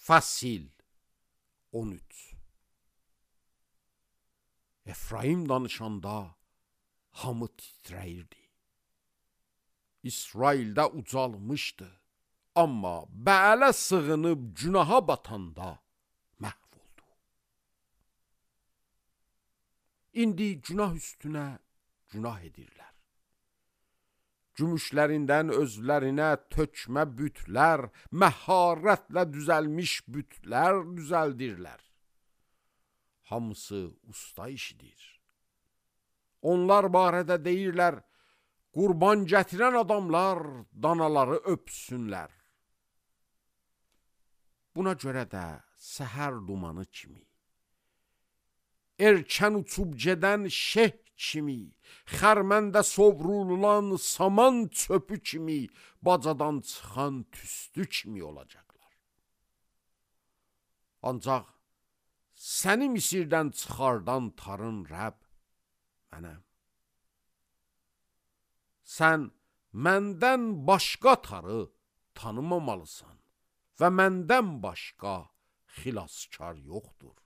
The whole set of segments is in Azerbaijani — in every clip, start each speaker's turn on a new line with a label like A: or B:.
A: Fəsil 13. Efraim danışanda hamı titrəyirdi. İsraildə ucalmışdı, amma Bəələ sığınıb günaha batanda məhv oldu. İndi günah üstünə günah edirlər. Gümüşlərindən özlərinə tökmə bütlər, məharətlə düzəlmiş bütlər düzəldirlər. Hamısı usta işidir. Onlar barədə deyirlər, qurban gətirən adamlar danaları öpsünlər. Buna görə də səhər dumanı kimi, erkən uçub gedən şeh kimi, xərməndə sovrulan saman çöpü kimi, bacadan çıxan tüstü kimi olacaqlar. Ancaq səni Misirdən çıxardan tarın Rəbb mənəm. Sən məndən başqa tarı tanımamalısan və məndən başqa xilaskar yoxdur.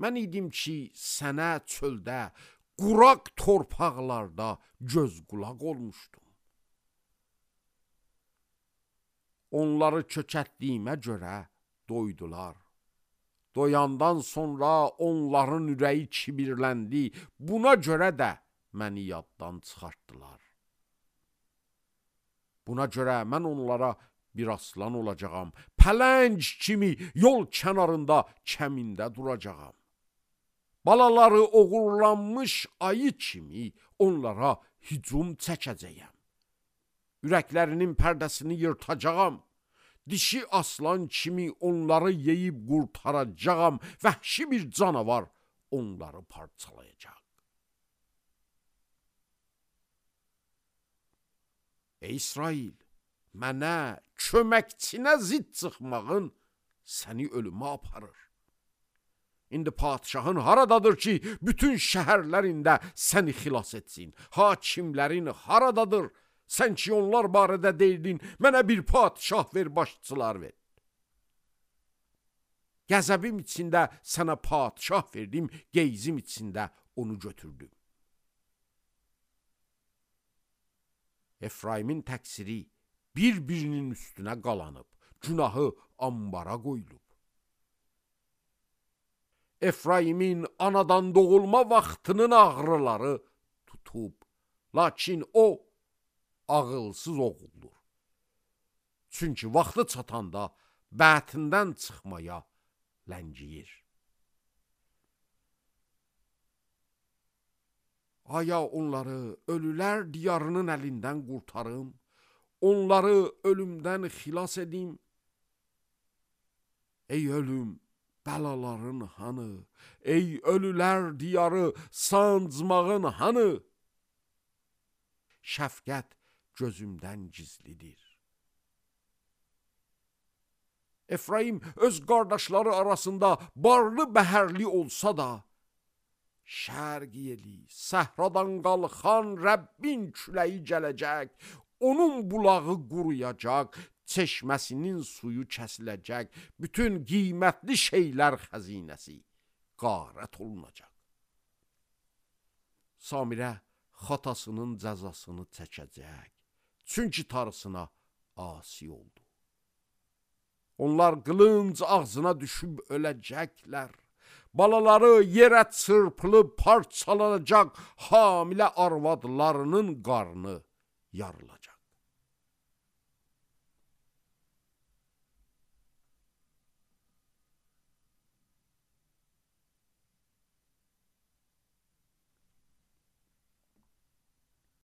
A: Mən idim ki, sənə çöldə, quraq torpaqlarda göz qulaq olmuşdum. Onları kökətdiyimə görə doydular. Doyandan sonra onların ürəyi kibirləndi. Buna görə də məni yaddan çıxartdılar. Buna görə mən onlara bir aslan olacağam. Pələng kimi yol kənarında kəmində duracağam. Balaları oğurlanmış ayı kimi onlara hücum çəkəcəyəm. Ürəklərinin pərdəsini yırtacağam. Dişi aslan kimi onları yeyib qurtaracağam. Vəhşi bir canavar onları parçalayacaq. Ey İsrail, mənə köməkçinə zid çıxmağın səni ölümə aparır. İndi padişahın haradadır ki, bütün şəhərlərində səni xilas etsin? Hakimlərin haradadır? Sən ki, onlar barədə deyirdin, mənə bir padişah ver, başçılar ver. Qəzəbim içində sənə padişah verdim, qeyzim içində onu götürdüm. Efraimin təqsiri bir-birinin üstünə qalanıb, günahı ambara qoyulub. Efraimin anadan doğulma vaxtının ağrıları tutub, lakin o ağılsız oğuldur. Çünki vaxtı çatanda bətindən çıxmaya ləngiyir. Aya onları ölülər diyarının əlindən qurtarım, onları ölümdən xilas edim. Ey ölüm, bəlaların hanı? Ey ölülər diyarı, sancmağın hanı? Şəfqət gözümdən gizlidir. Efraim öz qardaşları arasında barlı bəhərli olsa da, şərq yeli, səhradan qalxan Rəbbin küləyi gələcək, onun bulağı quruyacaq, çeşməsinin suyu kəsiləcək, bütün qiymətli şeylər xəzinəsi qarət olunacaq. Samirə xatasının cəzasını çəkəcək, çünki tarısına asi oldu. Onlar qılınc ağzına düşüb öləcəklər. Balaları yerə çırpılıb parçalanacaq, hamilə arvadlarının qarnı yarılacaq.